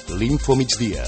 l'Infomigdia.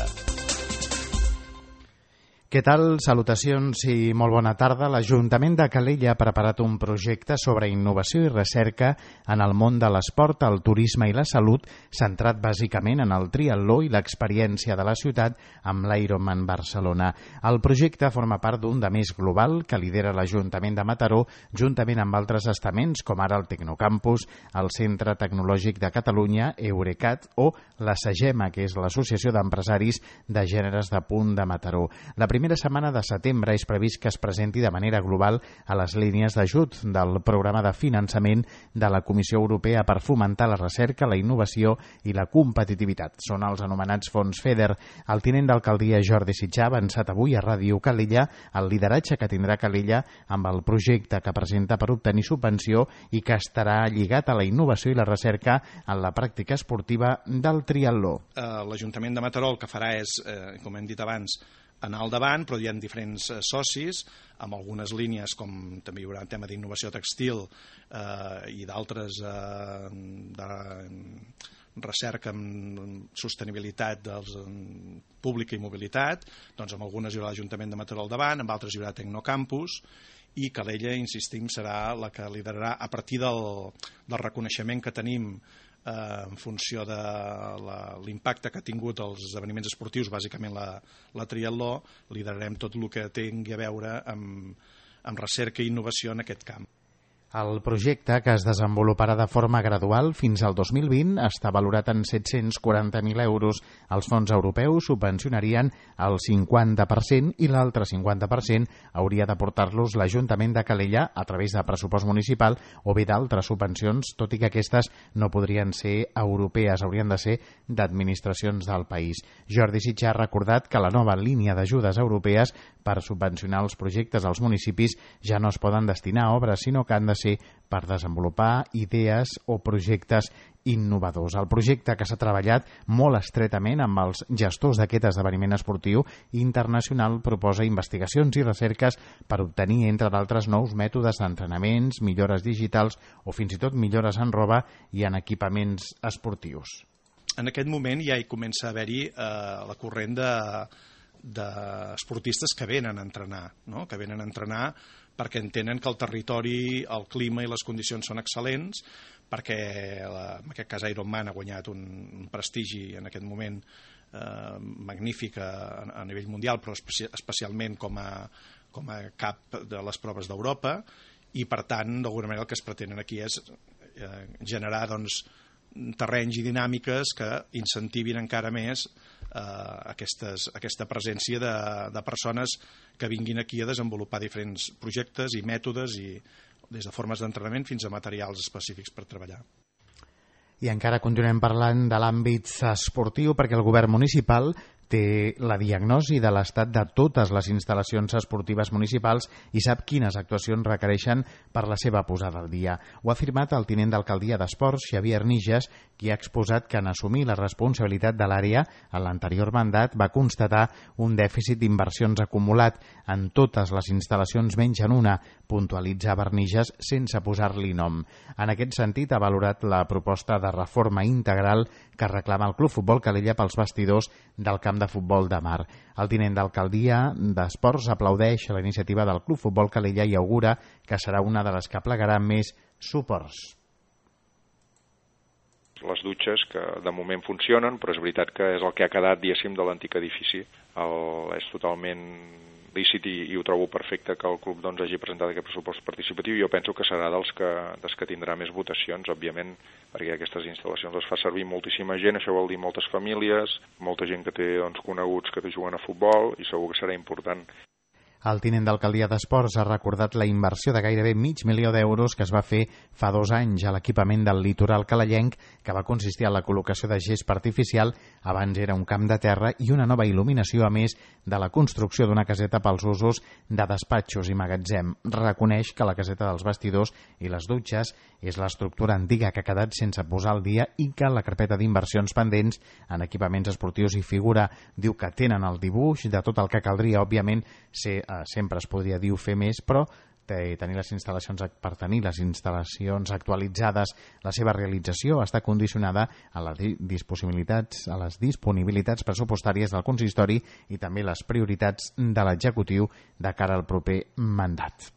Què tal? Salutacions i molt bona tarda. L'Ajuntament de Calella ha preparat un projecte sobre innovació i recerca en el món de l'esport, el turisme i la salut, centrat bàsicament en el triatló i l'experiència de la ciutat amb l'Ironman Barcelona. El projecte forma part d'un de més global que lidera l'Ajuntament de Mataró, juntament amb altres estaments com ara el Tecnocampus, el Centre Tecnològic de Catalunya, Eurecat o la SAGEMA, que és l'Associació d'Empresaris de Gèneres de Punt de Mataró. La primera setmana de setembre és previst que es presenti de manera global a les línies d'ajut del programa de finançament de la Comissió Europea per fomentar la recerca, la innovació i la competitivitat. Són els anomenats fons FEDER. El tinent d'alcaldia Jordi Sitjà ha avançat avui a Ràdio Calella el lideratge que tindrà Calella amb el projecte que presenta per obtenir subvenció i que estarà lligat a la innovació i la recerca en la pràctica esportiva del triatló. L'Ajuntament de Mataró el que farà és, com hem dit abans, anar al davant, però hi ha diferents socis, amb algunes línies, com també hi haurà un tema d'innovació textil i d'altres de recerca en sostenibilitat pública i mobilitat, doncs amb algunes hi haurà l'Ajuntament de Mataró al davant, amb altres hi haurà Tecnocampus, i Calella, insistim, serà la que liderarà a partir del reconeixement que tenim en funció de l'impacte que ha tingut els esdeveniments esportius, bàsicament la triatló, liderarem tot el que tingui a veure amb recerca i innovació en aquest camp. El projecte, que es desenvoluparà de forma gradual fins al 2020, està valorat en 740.000 euros. Els fons europeus subvencionarien el 50% i l'altre 50% hauria d'aportar-los l'Ajuntament de Calella a través de pressupost municipal o bé d'altres subvencions, tot i que aquestes no podrien ser europees, haurien de ser d'administracions del país. Jordi Sitjà ha recordat que la nova línia d'ajudes europees per subvencionar els projectes als municipis ja no es poden destinar a obres, sinó que han de ser per desenvolupar idees o projectes innovadors. El projecte, que s'ha treballat molt estretament amb els gestors d'aquest esdeveniment esportiu internacional, proposa investigacions i recerques per obtenir, entre d'altres, nous mètodes d'entrenaments, millores digitals o fins i tot millores en roba i en equipaments esportius. En aquest moment ja hi comença a haver-hi la corrent d'esportistes que venen a entrenar, no? Que venen a entrenar perquè entenen que el territori, el clima i les condicions són excel·lents, perquè en aquest cas Ironman ha guanyat un prestigi en aquest moment magnífic a nivell mundial, però especialment com a cap de les proves d'Europa, i per tant, d'alguna manera el que es pretenen aquí és generar terrenys i dinàmiques que incentivin encara més aquesta presència de persones que vinguin aquí a desenvolupar diferents projectes i mètodes, i des de formes d'entrenament fins a materials específics per treballar. I encara continuem parlant de l'àmbit esportiu, perquè el govern municipal té la diagnosi de l'estat de totes les instal·lacions esportives municipals i sap quines actuacions requereixen per la seva posada al dia. Ho ha afirmat el tinent d'alcaldia d'Esports, Xavier Nijas, qui ha exposat que en assumir la responsabilitat de l'àrea en l'anterior mandat va constatar un dèficit d'inversions acumulat en totes les instal·lacions menys en una, puntualitzava Nijas sense posar-li nom. En aquest sentit, ha valorat la proposta de reforma integral que reclama el Club Futbol Calella pels vestidors del camp de futbol de mar. El tinent d'alcaldia d'Esports aplaudeix la iniciativa del Club Futbol Calella i augura que serà una de les que plegarà més suports. Les dutxes, que de moment funcionen, però és veritat que és el que ha quedat, diguéssim, de l'antic edifici. És totalment lícit i ho trobo perfecte que el club hagi presentat aquest pressupost participatiu, i jo penso que serà dels que tindrà més votacions, òbviament, perquè aquestes instal·lacions les fa servir moltíssima gent, això vol dir moltes famílies, molta gent que té coneguts que juguen a futbol, i segur que serà important. El tinent d'alcaldia d'Esports ha recordat la inversió de gairebé $500.000 que es va fer fa 2 anys a l'equipament del litoral calellenc, que va consistir en la col·locació de gespa artificial, abans era un camp de terra, i una nova il·luminació, a més de la construcció d'una caseta pels usos de despatxos i magatzem. Reconeix que la caseta dels vestidors i les dutxes és l'estructura antiga que ha quedat sense posar al dia i que la carpeta d'inversions pendents en equipaments esportius hi figura. Diu que tenen el dibuix de tot el que caldria, òbviament, sempre es podria dir fer més, però tenir les instal·lacions actualitzades, la seva realització està condicionada a les disponibilitats pressupostàries del consistori i també les prioritats de l'executiu de cara al proper mandat.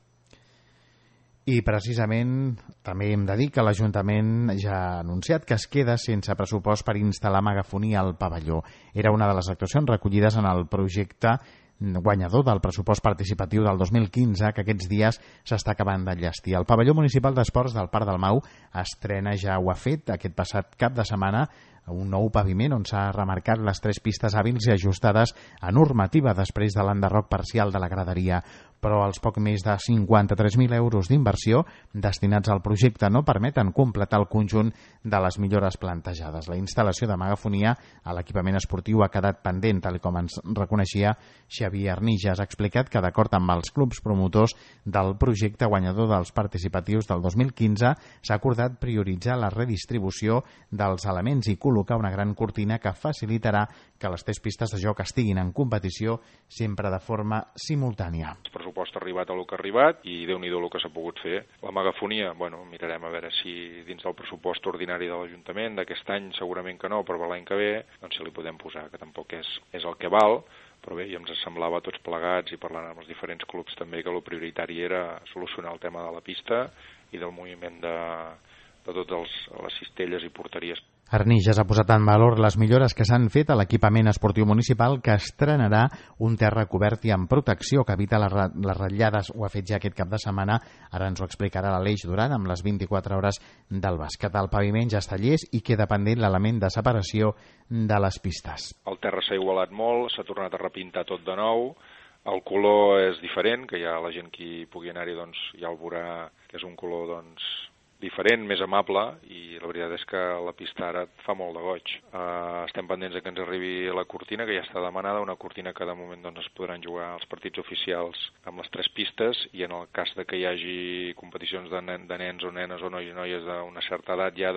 I precisament també hem de dir que l'Ajuntament ja ha anunciat que es queda sense pressupost per instal·lar megafonia al pavelló. Era una de les actuacions recollides en el projecte guanyador del pressupost participatiu del 2015 que aquests dies s'està acabant d'enllestir. El pavelló municipal d'esports del Parc del Mau estrena, ja ho ha fet aquest passat cap de setmana, un nou paviment on s'ha remarcat les 3 pistes hàbils i ajustades a normativa després de l'enderroc parcial de la graderia. Però els poc més de 53.000 euros d'inversió destinats al projecte no permeten completar el conjunt de les millores plantejades. La instal·lació de megafonia a l'equipament esportiu ha quedat pendent, tal com ens reconeixia Xavier Arnijas. Ha explicat que, d'acord amb els clubs promotors del projecte guanyador dels participatius del 2015, s'ha acordat prioritzar la redistribució dels elements i col·locar una gran cortina que facilitarà que les 3 pistes de joc estiguin en competició sempre de forma simultània. El pressupost ha arribat a lo que ha arribat i Déu-n'hi-do el que s'ha pogut fer. La megafonia, mirarem a veure si dins del pressupost ordinari de l'Ajuntament d'aquest any segurament que no, però per l'any que ve doncs si li podem posar, que tampoc és el que val, però bé, ja ens semblava a tots plegats i parlant amb els diferents clubs també que el prioritari era solucionar el tema de la pista i del moviment de totes les cistelles i porteries. Arnijas ha posat en valor les millores que s'han fet a l'equipament esportiu municipal, que estrenarà un terra cobert i amb protecció que evita les ratllades. Ho ha fet ja aquest cap de setmana, ara ens ho explicarà l'Aleix Duran amb les 24 hores del bàsquet. El paviment ja està llest i queda pendent l'element de separació de les pistes. El terra s'ha igualat molt, s'ha tornat a repintar tot de nou, el color és diferent, que ja la gent que pugui anar-hi ja el veurà que és un color diferent, més amable, i la veritat és que la pista ara fa molt de goig. Estem pendents que ens arribi la cortina, que ja està demanada, una cortina que de moment es podran jugar els partits oficials amb les 3 pistes, i en el cas de que hi hagi competicions de nens o nenes o noies d'una certa edat ja,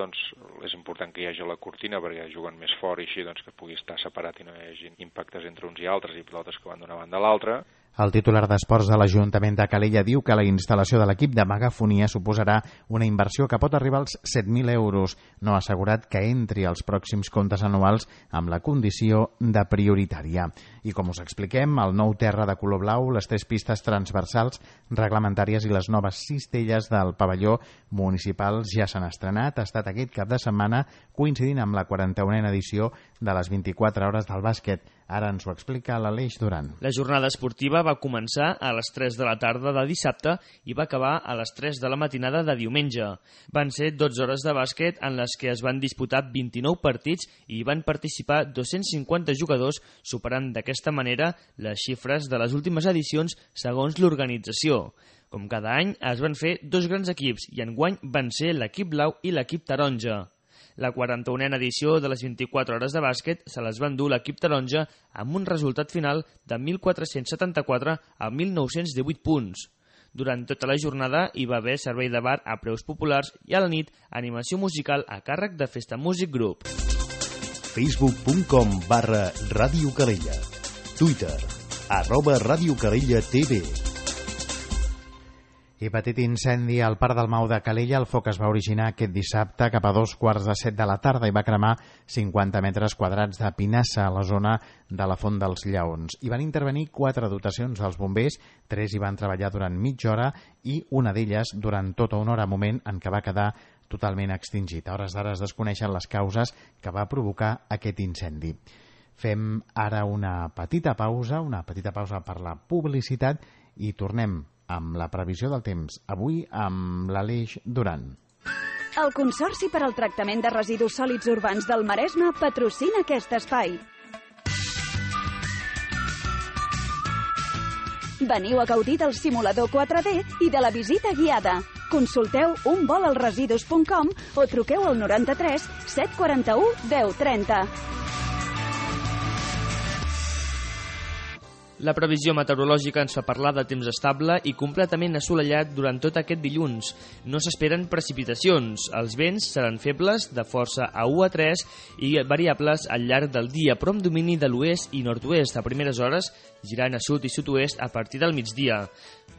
és important que hi hagi la cortina perquè juguen més fort i així que pugui estar separat i no hi hagi impactes entre uns i altres i pilotes que van d'una banda a l'altra. El titular d'Esports de l'Ajuntament de Calella diu que la instal·lació de l'equip de megafonia suposarà una inversió que pot arribar als 7.000 euros. No ha assegurat que entri als pròxims comptes anuals amb la condició de prioritària. I com us expliquem, el nou terra de color blau, les 3 pistes transversals reglamentàries i les noves cistelles del pavelló municipal ja s'han estrenat. Ha estat aquest cap de setmana coincidint amb la 41a edició de les 24 hores del bàsquet. Ara ens ho explica l'Aleix Duran. La jornada esportiva va començar a les 3 de la tarda de dissabte i va acabar a les 3 de la matinada de diumenge. Van ser 12 hores de bàsquet en les que es van disputar 29 partits i hi van participar 250 jugadors, superant d'aquesta manera les xifres de les últimes edicions segons l'organització. Com cada any, es van fer 2 grans equips i enguany van ser l'equip blau i l'equip taronja. La 41a edició de les 24 hores de bàsquet se les va endur l'equip taronja amb un resultat final de 1.474 a 1.918 punts. Durant tota la jornada hi va haver servei de bar a preus populars i a la nit animació musical a càrrec de Festa Music Group. Facebook.com/Ràdio Calella. Twitter @RàdioCalella.tv. I petit incendi al Parc del Mau de Calella. El foc es va originar aquest dissabte cap a 2:15 de la tarda i va cremar 50 metres quadrats de pinassa a la zona de la Font dels Lleons. Hi van intervenir 4 dotacions dels bombers, 3 hi van treballar durant mitja hora i una d'elles durant tota una hora, moment en què va quedar totalment extingit. A hores d'ara es desconeixen les causes que va provocar aquest incendi. Fem ara una petita pausa per la publicitat i tornem amb la previsió del temps, avui amb l'Aleix Duran. El Consorci per al Tractament de Residus Sòlids Urbans del Maresme patrocina aquest espai. Veniu a gaudir del simulador 4D i de la visita guiada. Consulteu unvolalresidus.com o truqueu al 93 741 1030. La previsió meteorològica ens fa parlar de temps estable i completament assolellat durant tot aquest dilluns. No s'esperen precipitacions. Els vents seran febles, de força a 1 a 3 i variables al llarg del dia, però amb domini de l'oest i nord-oest a primeres hores, girant a sud i sud-oest a partir del migdia.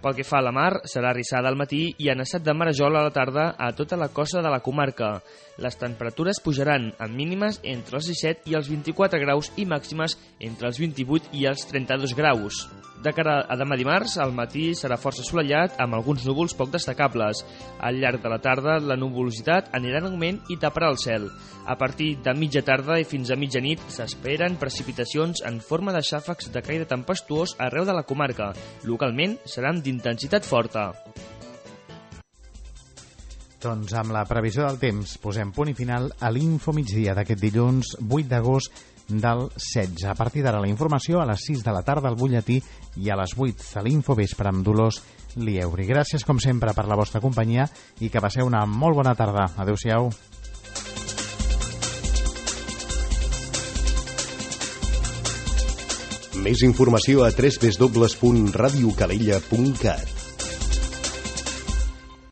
Pel que fa a la mar, serà arrissada al matí i en estat de marejol a la tarda a tota la costa de la comarca. Les temperatures pujaran amb mínimes entre els 17 i els 24 graus i màximes entre els 28 i els 32 graus. De cara a demà dimarts, al matí serà força assolellat amb alguns núvols poc destacables. Al llarg de la tarda, la nuvolositat anirà en augment i taparà el cel. A partir de mitja tarda i fins a mitjanit s'esperen precipitacions en forma de xàfecs de caire tempestuós arreu de la comarca. Localment seran d'intensitat forta. Doncs amb la previsió del temps posem punt i final a l'Info Migdia d'aquest dilluns 8 d'agost del 16. A partir d'ara la informació a les 6 de la tarda al butlletí i a les 8 a l'Info Vespre amb Dolors Lieuri. Gràcies com sempre per la vostra companyia i que passeu una molt bona tarda. Adéu-siau. Més informació a www.radiocalella.cat.